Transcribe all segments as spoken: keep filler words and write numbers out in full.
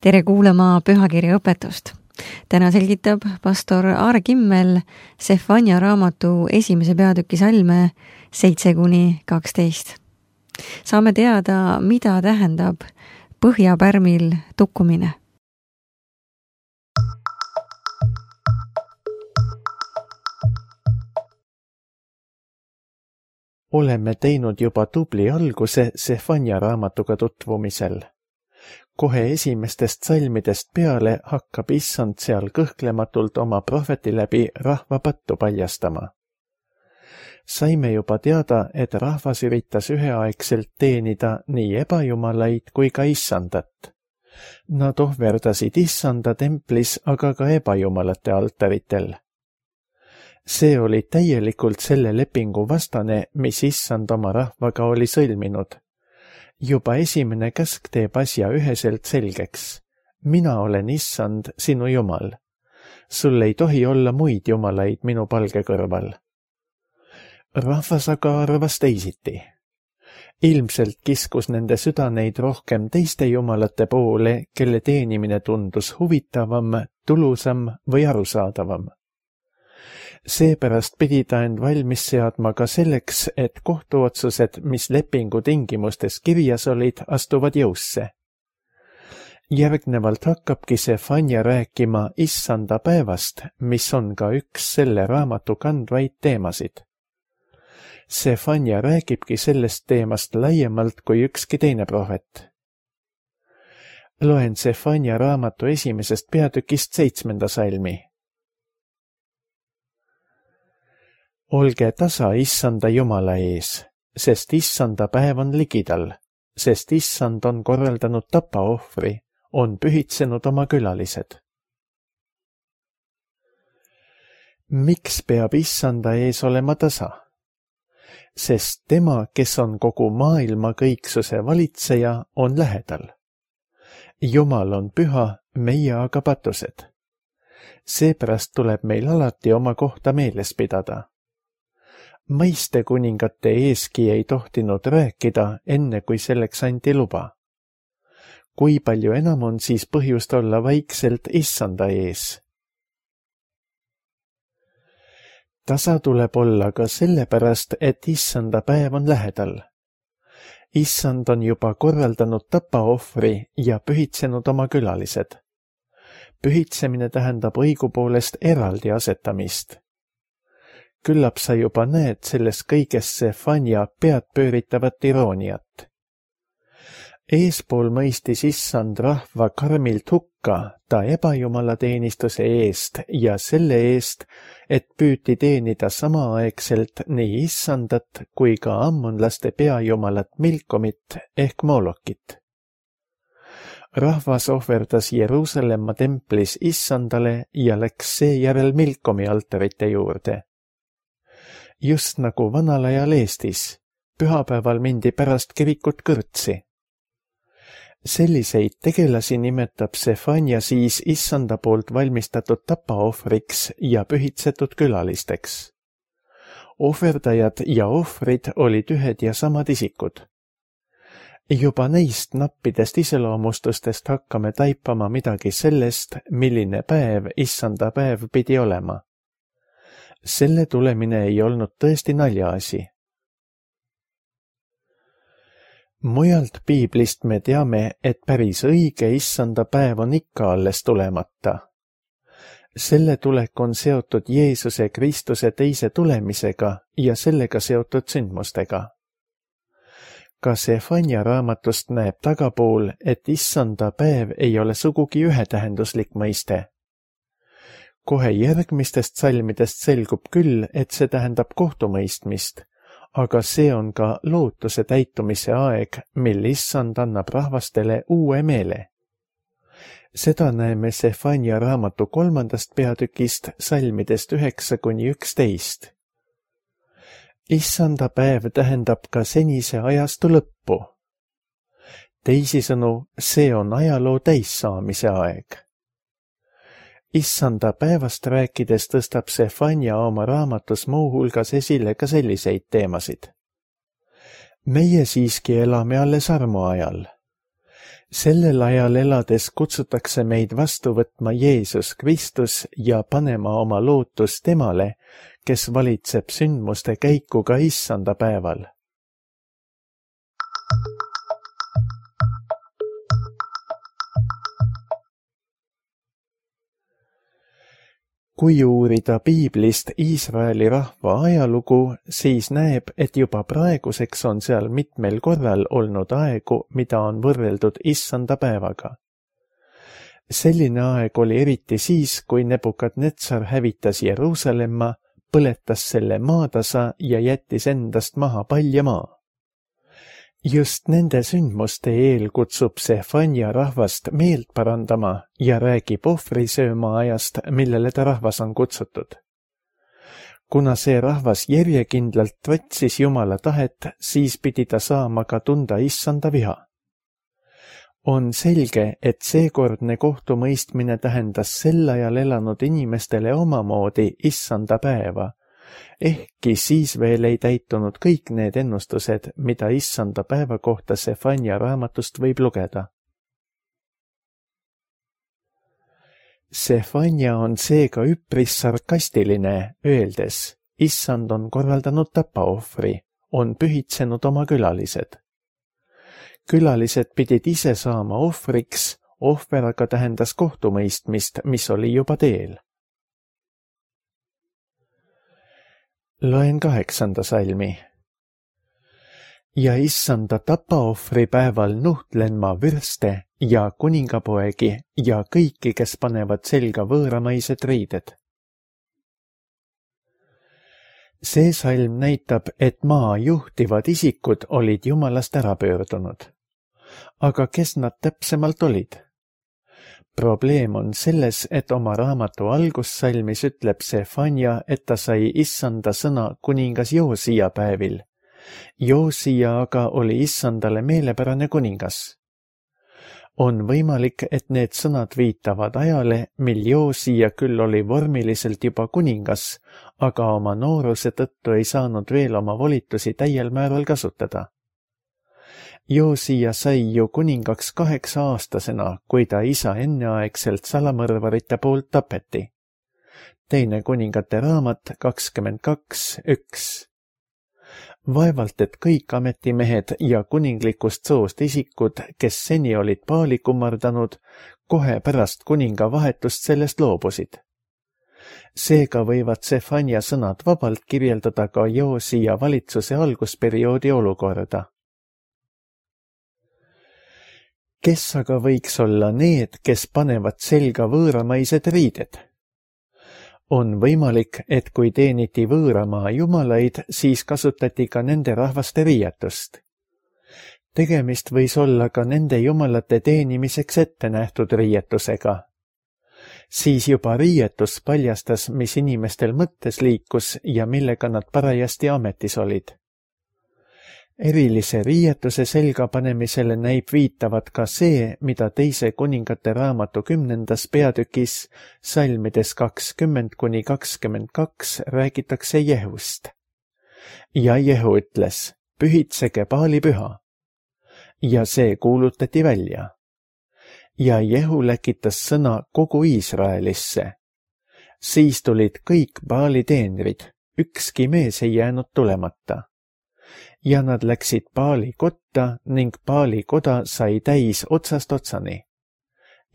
tere kuulama pühakirja õpetust. Täna selgitab pastor Aare Kimmel Sefania raamatu esimese peatüki salme seitse kuni kaksteist. Saame teada, mida tähendab põhjapärmil tukkumine. Oleme teinud juba tubli alguse Sefania raamatuga tutvumisel. Kohe esimestest salmidest peale hakkab issand seal kõhklematult oma prohveti läbi rahva pattu paljastama. Saime juba teada, et rahvas üritas üheaegselt teenida nii ebajumalaid kui ka issandat. Nad ohverdasid issanda templis, aga ka ebajumalate altaritel. See oli täielikult selle lepingu vastane, mis issand oma rahvaga oli sõlminud. Juba esimene käsk teeb asja üheselt selgeks. Mina olen issand, sinu jumal. Sul ei tohi olla muid jumalaid minu palge kõrval. Rahvas aga arvas teisiti. Ilmselt kiskus nende südaneid rohkem teiste jumalate poole, kelle teenimine tundus huvitavam, tulusam või arusaadavam. Seepärast pidi ta end valmis seadma ka selleks, et kohtuotsused, mis lepingu tingimustes kirjas olid, astuvad jõusse. Järgnevalt hakkabki Sefania rääkima issanda päevast, mis on ka üks selle raamatu kandvaid teemasid. Sefania räägibki sellest teemast laiemalt kui ükski teine prohvet. Loen Sefania raamatu esimesest peatükist seitsmenda salmi. Olge tasa issanda Jumala ees, sest issanda päev on ligidal, sest issand on korraldanud tapaohvri, on pühitsenud oma külalised. Miks peab issanda ees olema tasa? Sest tema, kes on kogu maailma kõiksuse valitseja, on lähedal. Jumal on püha, meie aga patused. Seepärast tuleb meil alati oma kohta meeles pidada. Mõiste kuningate eeski ei tohtinud rääkida, enne kui selleks anti luba. Kui palju enam on siis põhjust olla vaikselt issanda ees? Tasa tuleb olla ka sellepärast, et issanda päev on lähedal. Issand on juba korraldanud tapaohvri ja pühitsenud oma külalised. Pühitsemine tähendab õigupoolest eraldi asetamist. Küllap sa juba näed selles kõiges Sefania pead pööritavat irooniat. Eespool mõistis issand rahva karmilt hukka ta ebajumala teenistuse eest ja selle eest, et püüti teenida samaaegselt nii issandat kui ka ammonlaste peajumalat Milkomit ehk Molokit. Rahvas ohverdas Jeruusalemma templis issandale ja läks seejärel Milkomi altarite juurde. Just nagu vanal ajal Eestis, pühapäeval mindi pärast kirikut kõrtsi. Selliseid tegelasi nimetab Sefania siis issanda poolt valmistatud tapaohvriks ja pühitsetud külalisteks. Ohverdajad ja ohvrid olid ühed ja samad isikud. Juba neist nappidest iseloomustustest hakkame taipama midagi sellest, milline päev issanda päev pidi olema. Selle tulemine ei olnud tõesti naljaasi. Mujalt piiblist me teame, et päris õige issanda päev on ikka alles tulemata. Selle tulek on seotud Jeesuse Kristuse teise tulemisega ja sellega seotud sündmustega. Ka Sefania raamatust näeb tagapool, et issanda päev ei ole sugugi ühetähenduslik mõiste. Kohe järgmistest salmidest selgub küll, et see tähendab kohtumõistmist, aga see on ka lootuse täitumise aeg, mil issand annab rahvastele uue meele. Seda näeme Sefania raamatu kolmandast peatükist salmidest üheksa kuni üksteist. Issanda päev tähendab ka senise ajastu lõppu. Teisisõnu, see on ajaloo täissaamise aeg. Issanda päevast rääkides tõstab Sefania oma raamatus muu hulgas esile ka selliseid teemasid. Meie siiski elame alles armu ajal. sellel ajal elades kutsutakse meid vastu võtma Jeesus Kristus ja panema oma lootus temale, kes valitseb sündmuste käiku ka issanda päeval. Kui uurida piiblist Iisraeli rahva ajalugu, siis näeb, et juba praeguseks on seal mitmel korral olnud aegu, mida on võrreldud issanda päevaga. Selline aeg oli eriti siis, kui Nebukadnetsar hävitas Jeruusalemma, põletas selle maatasa ja jättis endast maha palja maa. Just nende sündmuste eel kutsub Sefanja rahvast meelt parandama ja räägib ohvrisööma ajast, millele ta rahvas on kutsutud. Kuna see rahvas järjekindlalt võtsis Jumala tahet, siis pidi ta saama ka tunda issanda viha. On selge, et seekordne kohtumõistmine tähendas sel ajal elanud inimestele omamoodi issanda päeva, ehkki siis veel ei täitunud kõik need ennustused, mida issanda päeva kohta Sefanja raamatust võib lugeda. Sefanja on seega üpris sarkastiline, öeldes, issand on korraldanud tapaohvri, on pühitsenud oma külalised. Külalised pidid ise saama ohvriks, ohver aga tähendas kohtumõistmist, mis oli juba teel. Loen kaheksanda salmi. Ja issanda tapaohvri päeval nuhtlen ma vürste ja kuningapoegi ja kõiki, kes panevad selga võõramaised riided. See salm näitab, et maa juhtivad isikud olid Jumalast ära pöördunud. Aga kes nad täpsemalt olid? Probleem on selles, et oma raamatu algussalmis ütleb Sefanja, et ta sai issanda sõna kuningas Joosia päevil. Joosia aga oli issandale meelepärane kuningas. On võimalik, et need sõnad viitavad ajale, mil Joosia küll oli vormiliselt juba kuningas, aga oma nooruse tõttu ei saanud veel oma volitusi täiel määral kasutada. Joosia sai ju kuningaks kaheksa aastasena, kui ta isa enneaegselt salamõrvarite poolt tapeti. Teine kuningate raamat kakskümmend kaks üks. Vaevalt, et kõik ametimehed ja kuninglikust soost isikud, kes seni olid paali kummardanud, kohe pärast kuninga vahetust sellest loobusid. Seega võivad Sefanja sõnad vabalt kirjeldada ka Joosia valitsuse algusperioodi olukorda. Kes aga võiks olla need, kes panevad selga võõramaised riided? On võimalik, et kui teeniti võõramaa jumalaid, siis kasutati ka nende rahvaste riietust. Tegemist võis olla ka nende jumalate teenimiseks ette nähtud riietusega. Siis juba riietus paljastas, mis inimestel mõttes liikus ja millega nad parajasti ametis olid. Erilise riietuse selga panemisele näib viitavat ka see, mida teise kuningate raamatu kümnendas peatükis salmides kakskümmend kuni kakskümmend kaks räägitakse Jehust. Ja Jehu ütles, pühitsege Baali püha. Ja see kuulutati välja. Ja Jehu läkitas sõna kogu Iisraelisse. Siis tulid kõik Baali teenrid, ükski mees ei jäänud tulemata. Ja nad läksid Baali kotta ning Baali koda sai täis otsast otsani.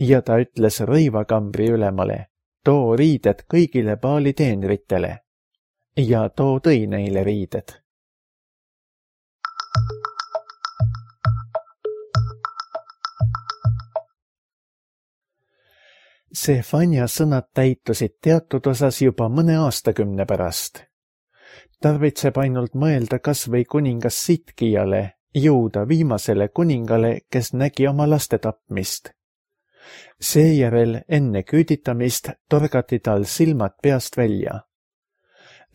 Ja ta ütles rõivakambri ülemale, too riided kõigile Baali teenritele. Ja too tõi neile riided. Sefanja sõnad täitusid teatud osas juba mõne aastakümne pärast. Tarvitseb ainult mõelda kas või kuningas Sitkijale, Juuda viimasele kuningale, kes nägi oma laste tapmist. Seejärel enne küüditamist torgati tal silmad peast välja.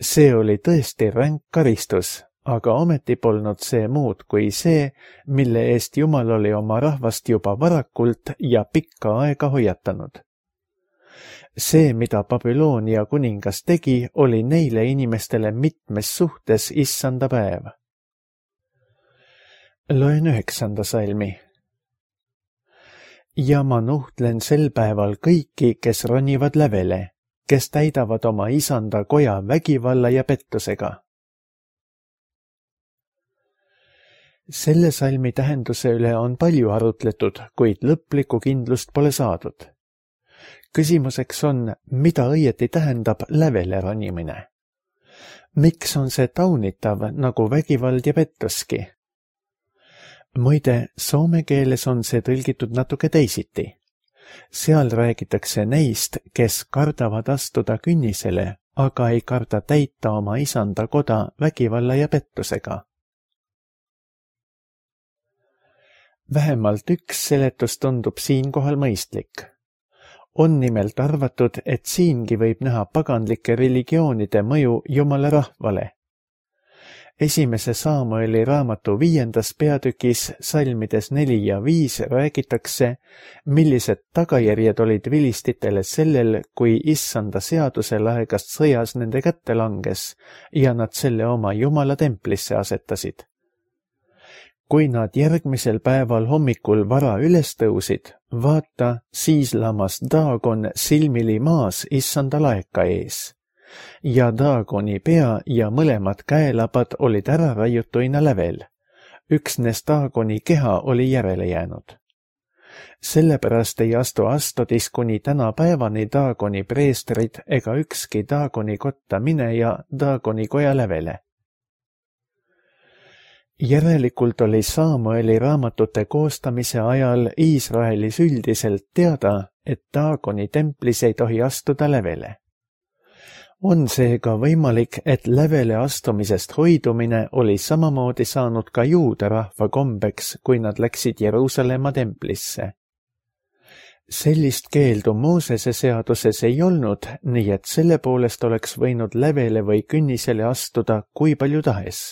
See oli tõesti ränk karistus, aga ometi polnud see muud kui see, mille eest Jumal oli oma rahvast juba varakult ja pikka aega hoiatanud. See, mida Babyloonia kuningas tegi, oli neile inimestele mitmes suhtes issanda päev. Loen üheksanda salmi. ja ma nuhtlen sel päeval kõiki, kes ronivad lävele, kes täidavad oma isanda koja vägivalla ja pettusega. Selle salmi tähenduse üle on palju arutletud, kuid lõplikku kindlust pole saadud. Küsimuseks on, mida õieti tähendab lävele ronimine? Miks on see taunitav nagu vägivald ja pettuski? Muide, soome keeles on see tõlgitud natuke teisiti. Seal räägitakse neist, kes kardavad astuda künnisele, aga ei karda täita oma isanda koda vägivalla ja pettusega. Vähemalt üks seletus tundub siinkohal mõistlik. On nimelt arvatud, et siingi võib näha paganlike religioonide mõju Jumala rahvale. Esimese Saamueli raamatu viiendas peatükis salmides neli ja viis räägitakse, millised tagajärjed olid vilistitele sellel, kui issanda seaduse laegast sõjas nende kätte langes ja nad selle oma Jumala templisse asetasid. Kui nad järgmisel päeval hommikul vara üles tõusid, vaata, siis lamas Daagon silmili maas issanda laeka ees. Ja Daagoni pea ja mõlemad käelabad olid ära raiutuina lävel. Üksnes Daagoni keha oli järele jäänud. Sellepärast ei astu Astodis kuni tänapäevani Daagoni preestrid ega ükski Daagoni kotta mineja Daagoni koja lävele. Järelikult oli Saamueli raamatute koostamise ajal Iisraelis üldiselt teada, et Daagoni templis ei tohi astuda lävele. On seega võimalik, et lävele astumisest hoidumine oli samamoodi saanud ka juuda rahva kombeks, kui nad läksid Jeruusalemma templisse. Sellist keeldu Moosese seaduses ei olnud, nii et selle poolest oleks võinud lävele või künnisele astuda kui palju tahes.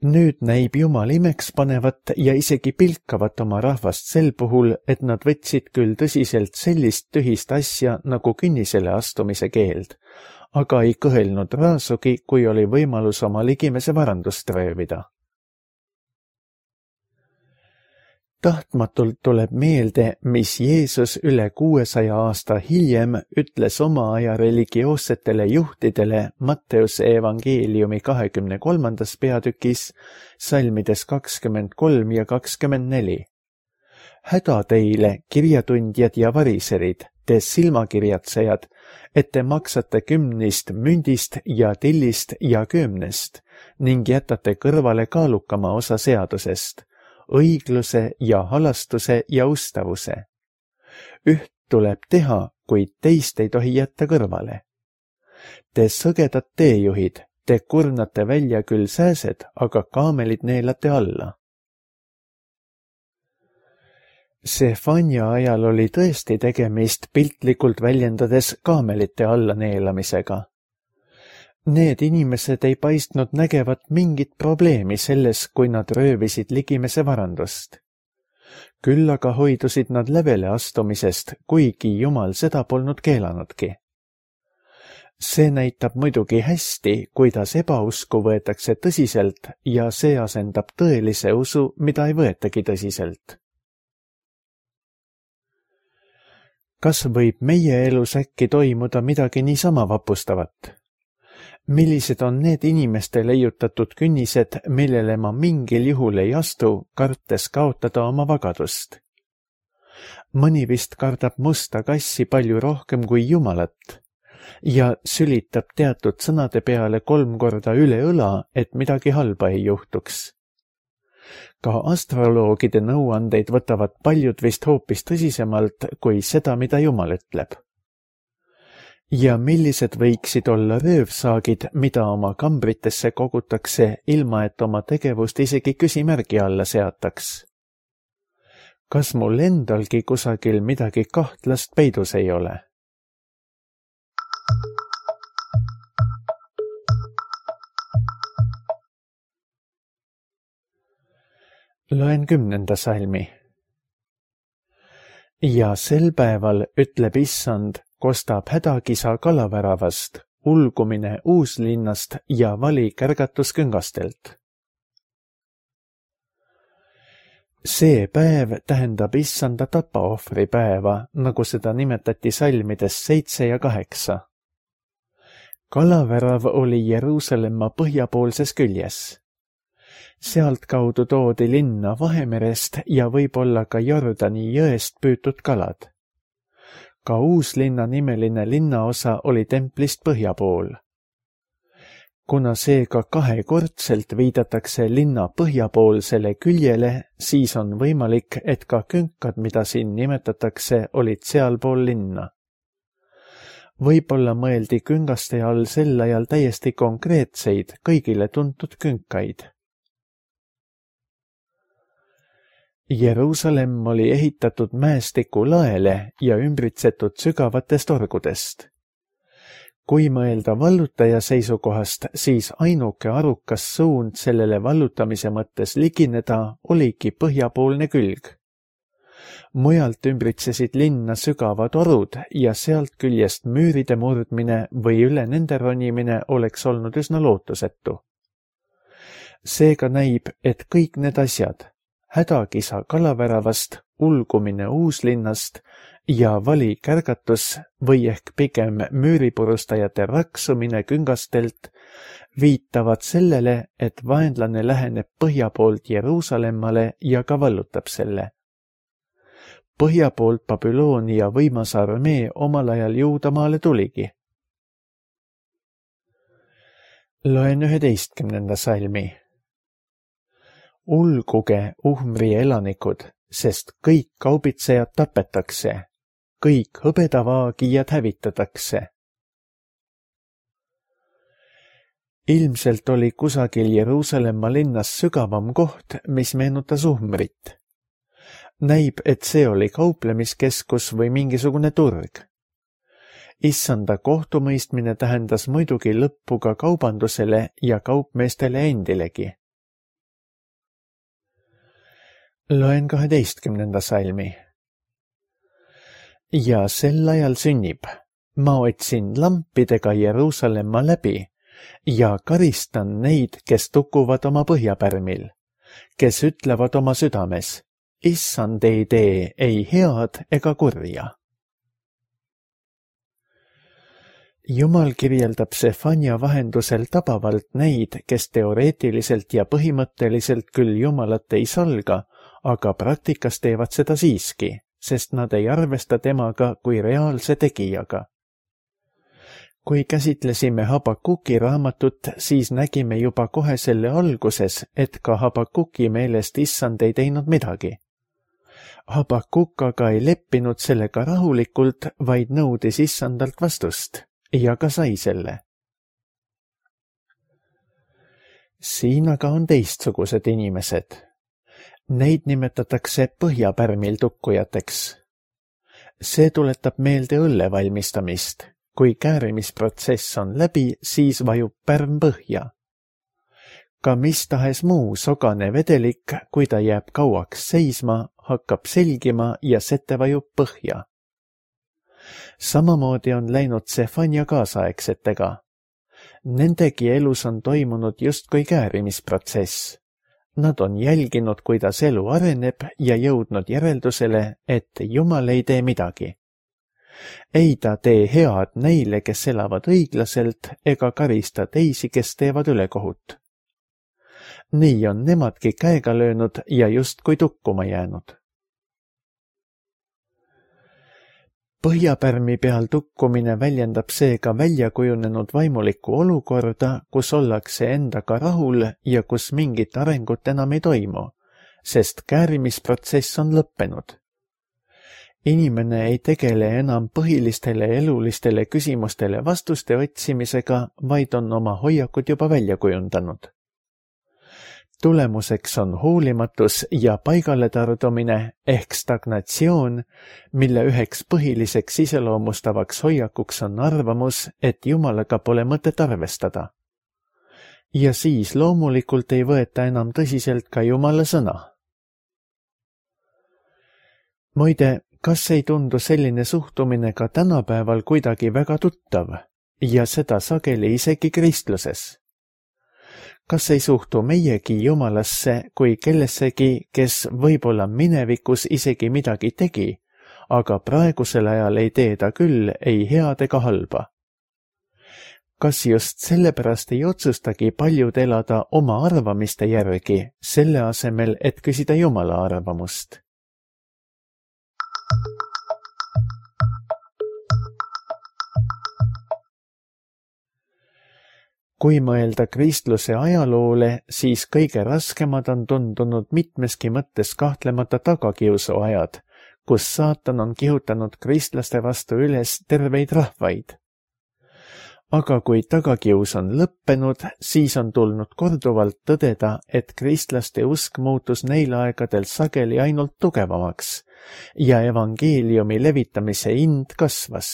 Nüüd näib Jumal imeks panevat ja isegi pilkavat oma rahvast sel puhul, et nad võtsid küll tõsiselt sellist tühist asja nagu künnisele astumise keeld, aga ei kõhelnud raasugi, kui oli võimalus oma ligimese varandust röövida. Tahtmatult tuleb meelde, mis Jeesus üle kuuesaja aasta hiljem ütles oma aja religioossetele juhtidele Matteuse evangeeliumi kahekümne kolmandas peatükis, salmides kakskümmend kolm ja kakskümmend neli. Häda teile, kirjatundjad ja variserid, te silmakirjatsejad, et te maksate kümnist mündist ja tillist ja kümnest ning jätate kõrvale kaalukama osa seadusest, õigluse ja halastuse ja ustavuse. Üht tuleb teha, kuid teist ei tohi jätta kõrvale. Te sõgedad teejuhid, te kurnate välja küll sääsed, aga kaamelid neelate alla. Sefania ajal oli tõesti tegemist piltlikult väljendades kaamelite alla neelamisega. Need inimesed ei paistnud nägevat mingit probleemi selles, kui nad röövisid ligimese varandust. Küll aga hoidusid nad lävele astumisest, kuigi Jumal seda polnud keelanudki. See näitab muidugi hästi, kuidas ebausku võetakse tõsiselt ja see asendab tõelise usu, mida ei võetagi tõsiselt. Kas võib meie elus äkki toimuda midagi niisama vapustavat? Millised on need inimeste leiutatud künnised, millele ma mingil juhul ei astu, kartes kaotada oma vagadust? Mõni vist kardab musta kassi palju rohkem kui Jumalat ja sülitab teatud sõnade peale kolm korda üle õla, et midagi halba ei juhtuks. Ka astroloogide nõuandeid võtavad paljud vist hoopis tõsisemalt kui seda, mida Jumal ütleb. Ja millised võiksid olla röövsaagid, mida oma kambritesse kogutakse, ilma et oma tegevust isegi küsimärgi alla seataks? Kas mul endalgi kusagil midagi kahtlast peidus ei ole? Loen kümnenda salmi. Ja sel päeval ütleb issand, kostab hädakisa kalaväravast, ulgumine uuslinnast ja vali kärgatus küngastelt. See päev tähendab issanda tapaohvri päeva, nagu seda nimetati salmides seitse ja kaheksa. Kalavärav oli Jeruusalemma põhjapoolses küljes. Sealtkaudu toodi linna Vahemerest ja võib-olla ka Jordani jõest püütud kalad. Ka Uuslinna nimeline linnaosa oli templist põhjapool. Kuna seega kahekordselt viidatakse linna põhjapoolsele küljele, siis on võimalik, et ka künkad, mida siin nimetatakse, olid sealpool linna. Võib-olla mõeldi küngaste all sel ajal täiesti konkreetseid, kõigile tuntud künkaid. Jeruusalemm oli ehitatud mäestiku laele ja ümbritsetud sügavatest orgudest. Kui mõelda vallutaja seisukohast, siis ainuke arukas suund sellele vallutamise mõttes ligineda oligi põhjapoolne külg. Mujalt ümbritsesid linna sügavad orud ja sealt küljest müüride murdmine või üle nende ronimine oleks olnud üsna lootusetu. Seega näib, et kõik need asjad, hädakisa kalaväravast, ulgumine Uuslinnast ja vali kärgatus või ehk pigem müüripurustajate raksumine küngastelt viitavad sellele, et vaenlane läheneb põhja poolt Jeruusalemmale ja ka vallutab selle. Põhja poolt Babyloonia võimas armee omal ajal Juudamaale tuligi. Loen üheteistkümnenda salmi. Ulguge Uhmri elanikud, sest kõik kaubitsejad tapetakse, kõik hõbedavaagijad hävitatakse. Ilmselt oli kusagil Jeruusalemma linnas sügavam koht, mis meenutas Uhmrit. Näib, et see oli kauplemiskeskus või mingisugune turg. Issanda kohtumõistmine tähendas muidugi lõppu ka kaubandusele ja kaupmeestele endilegi. Loen kaheteistkümnenda salmi. Ja sel ajal sünnib, ma otsin lampidega Jeruusalemma läbi ja karistan neid, kes tukuvad oma põhjapärmil, kes ütlevad oma südames, issand ei tee ei head ega kurja. Jumal kirjeldab Sefania vahendusel tabavalt neid, kes teoreetiliselt ja põhimõtteliselt küll Jumalat ei salga, aga praktikas teevad seda siiski, sest nad ei arvesta temaga kui reaalse tegijaga. Kui käsitlesime Habakuki raamatut, siis nägime juba kohe selle alguses, et ka Habakuki meelest issand ei teinud midagi. Habakuk aga ei leppinud sellega rahulikult, vaid nõudis issandalt vastust ja ka sai selle. Siin aga on teistsugused inimesed. Neid nimetatakse põhjapärmil tukkujateks. See tuletab meelde õlle valmistamist. Kui käärimisprotsess on läbi, siis vajub pärm põhja. Ka mis tahes muu sogane vedelik, kui ta jääb kauaks seisma, hakkab selgima ja sete vajub põhja. Samamoodi on läinud Sefania kaasaegsetega. Nendegi elus on toimunud justkui käärimisprotsess. Nad on jälginud, kuidas elu areneb ja jõudnud järeldusele, et Jumal ei tee midagi. Ei ta tee head neile, kes elavad õiglaselt, ega karista teisi, kes teevad ülekohut. Nii on nemadki käega löönud ja justkui tukkuma jäänud. Põhjapärmi peal tukkumine väljendab seega väljakujunenud vaimulikku olukorda, kus ollakse endaga rahul ja kus mingit arengut enam ei toimu, sest käärimisprotsess on lõppenud. Inimene ei tegele enam põhilistele elulistele küsimustele vastuste otsimisega, vaid on oma hoiakud juba välja kujundanud. Tulemuseks on hoolimatus ja paigale tardumine ehk stagnatsioon, mille üheks põhiliseks iseloomustavaks hoiakuks on arvamus, et Jumalaga pole mõtet arvestada. Ja siis loomulikult ei võeta enam tõsiselt ka Jumala sõna. Muide, kas ei tundu selline suhtumine ka tänapäeval kuidagi väga tuttav ja seda sageli isegi kristluses? Kas ei suhtu meiegi Jumalasse kui kellessegi, kes võib-olla minevikus isegi midagi tegi, aga praegusel ajal ei tee ta küll ei head ega halba? Kas just sellepärast ei otsustagi paljud elada oma arvamiste järgi, selle asemel, et küsida Jumala arvamust? Kui mõelda kristluse ajaloole, siis kõige raskemad on tundunud mitmeski mõttes kahtlemata tagakiusuajad, kus saatan on kihutanud kristlaste vastu üles terveid rahvaid. Aga kui tagakius on lõppenud, siis on tulnud korduvalt tõdeda, et kristlaste usk muutus neil aegadel sageli ainult tugevamaks ja evangeeliumi levitamise hind kasvas.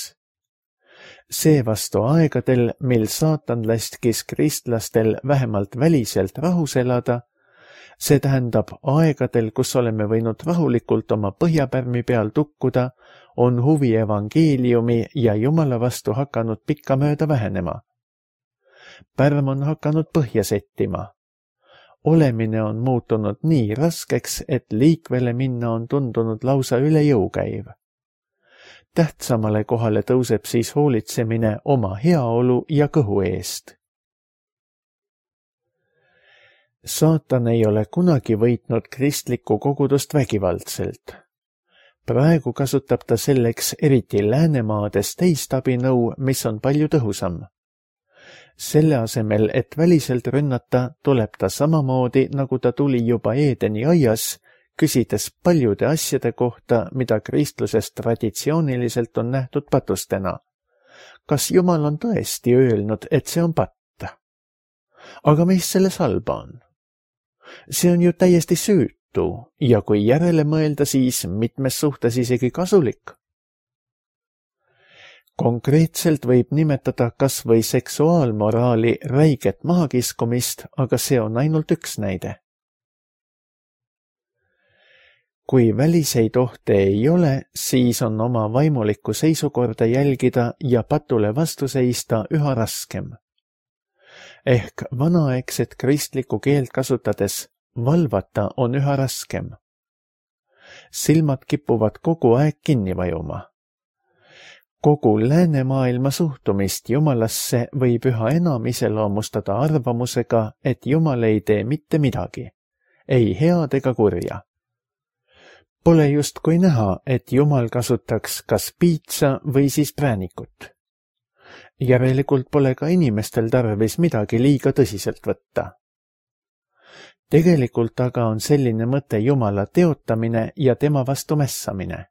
Seevastu aegadel, mil saatan laskis kristlastel vähemalt väliselt rahus elada, see tähendab aegadel, kus oleme võinud rahulikult oma põhjapärmi peal tukkuda, on huvi evangeeliumi ja Jumala vastu hakanud pikkamööda vähenema. Pärm on hakanud põhja settima. Olemine on muutunud nii raskeks, et liikvele minna on tundunud lausa üle jõu käiv. Tähtsamale kohale tõuseb siis hoolitsemine oma heaolu ja kõhu eest. Saatan ei ole kunagi võitnud kristlikku kogudust vägivaldselt. Praegu kasutab ta selleks eriti Läänemaades teist abinõu, mis on palju tõhusam. Selle asemel, et väliselt rünnata, tuleb ta samamoodi, nagu ta tuli juba Eedeni aias, küsides paljude asjade kohta, mida kristluses traditsiooniliselt on nähtud patustena. Kas Jumal on tõesti öelnud, et see on patt? Aga mis selles halba on? See on ju täiesti süütu ja kui järele mõelda, siis mitmes suhtes isegi kasulik. Konkreetselt võib nimetada kas või seksuaalmoraali räiget mahakiskumist, aga see on ainult üks näide. Kui väliseid ohte ei ole, siis on oma vaimulikku seisukorda jälgida ja patule vastu seista üha raskem. Ehk vanaaegset kristlikku keelt kasutades valvata on üha raskem. Silmad kipuvad kogu aeg kinni vajuma. Kogu läänemaailma suhtumist Jumalasse võib üha enam iseloomustada arvamusega, et Jumal ei tee mitte midagi, ei head ega kurja. Pole justkui näha, et Jumal kasutaks kas piitsa või siis präänikut. Järelikult pole ka inimestel tarvis midagi liiga tõsiselt võtta. Tegelikult aga on selline mõte Jumala teotamine ja tema vastu mässamine.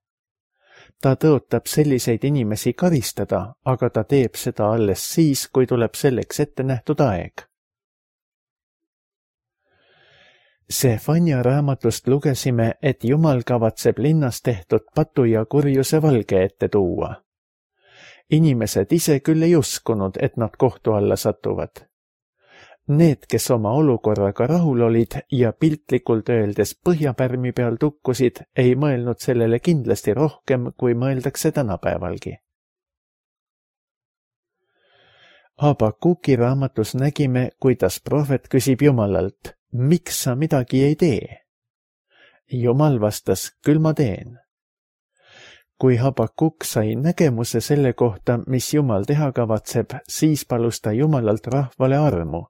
Ta tõotab selliseid inimesi karistada, aga ta teeb seda alles siis, kui tuleb selleks ette nähtud aeg. Sefania raamatust lugesime, et Jumal kavatseb linnas tehtud patu ja kurjuse valge ette tuua. Inimesed ise küll ei uskunud, et nad kohtu alla satuvad. Need, kes oma olukorraga rahul olid ja piltlikult öeldes põhjapärmi peal tukkusid, ei mõelnud sellele kindlasti rohkem, kui mõeldakse tänapäevalgi. Habakuki raamatus nägime, kuidas prohvet küsib Jumalalt, miks sa midagi ei tee? Jumal vastas, küll ma teen. Kui Habakuk sai nägemuse selle kohta, mis Jumal teha kavatseb, siis palus ta Jumalalt rahvale armu.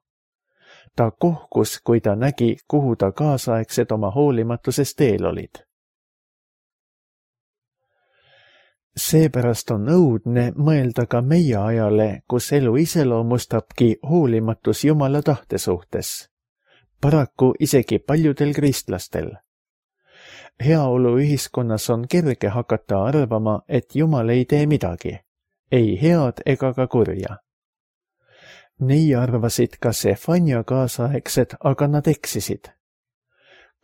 Ta kohkus, kui ta nägi, kuhu ta kaasaegsed oma hoolimatusest eel olid. Seepärast on õudne mõelda ka meie ajale, kus elu iseloomustabki hoolimatus Jumala tahte suhtes. Paraku isegi paljudel kristlastel. Heaolu ühiskonnas on kerge hakata arvama, et Jumal ei tee midagi, ei head ega ka kurja. Nii arvasid ka Sefania kaasaegsed, aga nad eksisid.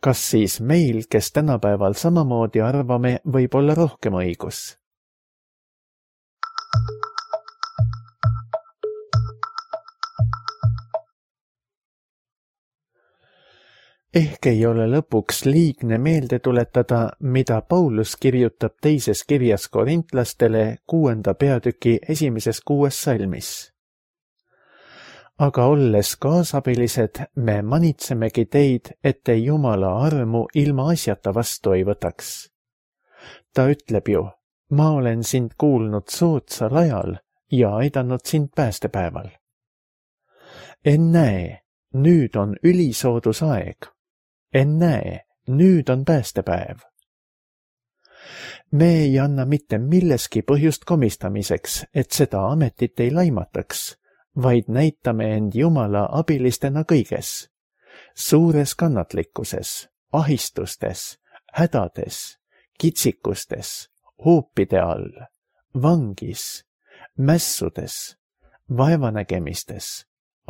Kas siis meil, kes tänapäeval samamoodi arvame, võib olla rohkem õigus? Ehk ei ole lõpuks liigne meelde tuletada, mida Paulus kirjutab teises kirjas korintlastele kuuenda peatüki esimeses kuues salmis. aga olles kaasabilised, me manitsemegi teid, et te Jumala armu ilma asjata vastu ei võtaks. Ta ütleb ju, ma olen sind kuulnud soodsal ajal ja aidanud sind päästepäeval. Ennäe, nüüd on ülisoodus aeg. Ennäe, nüüd on päästepäev. Me ei anna mitte milleski põhjust komistamiseks, et seda ametit ei laimataks, vaid näitame end Jumala abilistena kõiges, suures kannatlikkuses, ahistustes, hädades, kitsikustes, hoopide all, vangis, mässudes, vaevanägemistes,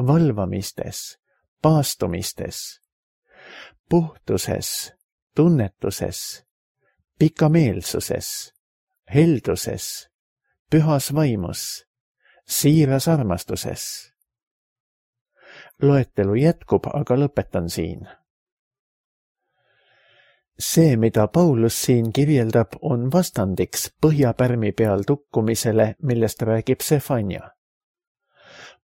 valvamistes, paastumistes, puhtuses, tunnetuses, pikameelsuses, helduses, pühas vaimus, siiras armastuses. Loetelu jätkub, aga lõpetan siin. See, mida Paulus siin kirjeldab, on vastandiks põhjapärmi peal tukkumisele, millest räägib Sefania.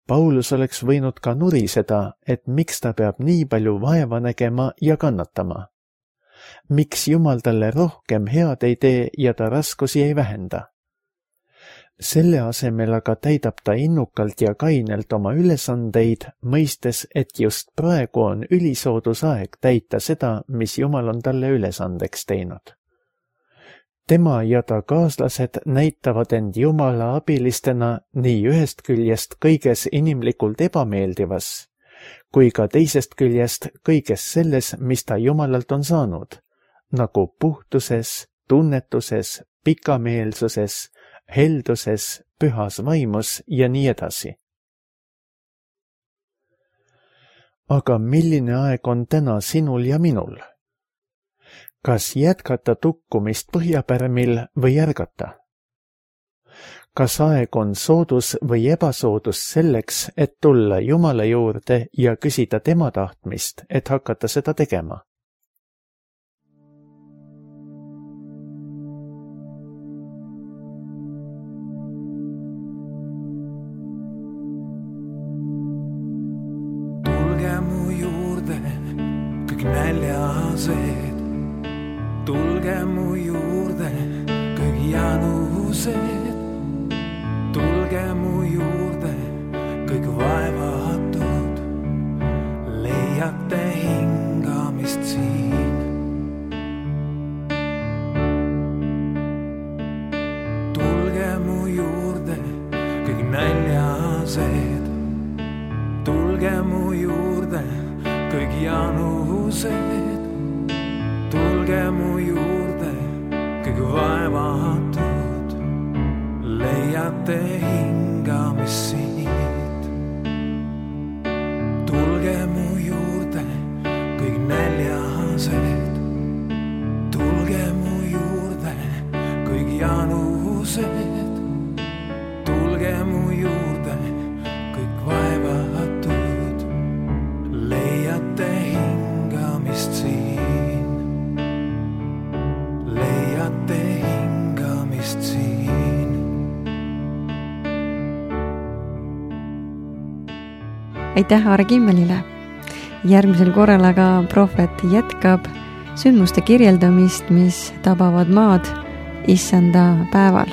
Paulus oleks võinud ka nuriseda, et miks ta peab nii palju vaeva nägema ja kannatama. Miks Jumal talle rohkem head ei tee ja ta raskusi ei vähenda? Selle asemel aga täidab ta innukalt ja kainelt oma ülesandeid, mõistes, et just praegu on ülisoodus aeg täita seda, mis Jumal on talle ülesandeks teinud. Tema ja ta kaaslased näitavad end Jumala abilistena nii ühest küljest kõiges inimlikult ebameeldivas, kui ka teisest küljest kõiges selles, mis ta Jumalalt on saanud, nagu puhtuses, tunnetuses, pikameelsuses, helduses, pühas vaimus ja nii edasi. Aga milline aeg on täna sinul ja minul? Kas jätkata tukkumist põhjapärmil või ärgata? Kas aeg on soodus või ebasoodus selleks, et tulla Jumala juurde ja küsida tema tahtmist, et hakata seda tegema? Tulge mu juurde, kõik näljased. Tulge mu juurde, kõik janused. Tulge mu juurde, kõik vaevatud. Leiate hingamist siin. Tulge mu juurde, kõik näljased. Tulge mu juurde, kõik janused. Tulge mu juurde, kõik vaevatud, leiate hingamist siit. Tulge mu juurde, kõik näljased. Tulge mu juurde, kõik janused. Tulge mu juurde, kõik vaevatud, leiate hingamist siit. Leiate hingamist siin. Aitäh Aare Kimmelile. Järgmisel korral aga prohvet jätkab sündmuste kirjeldamist, mis tabavad maad issanda päeval.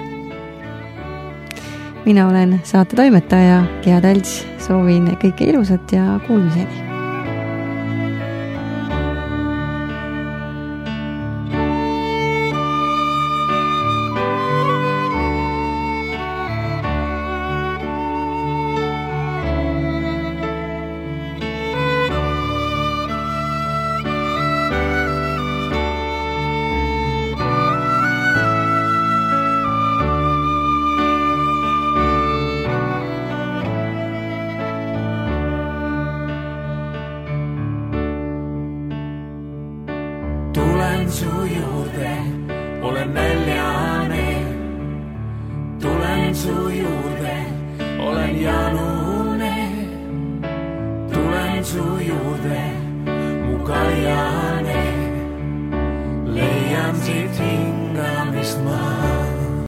Mina olen saate toimetaja Gea Talts, soovin kõike ilusat ja kuulmiseni. Tulen su juurde, olen näljane. Tulen su juurde, olen janune. Tulen su juurde, mu kaljane. Leian siit hingamist ma.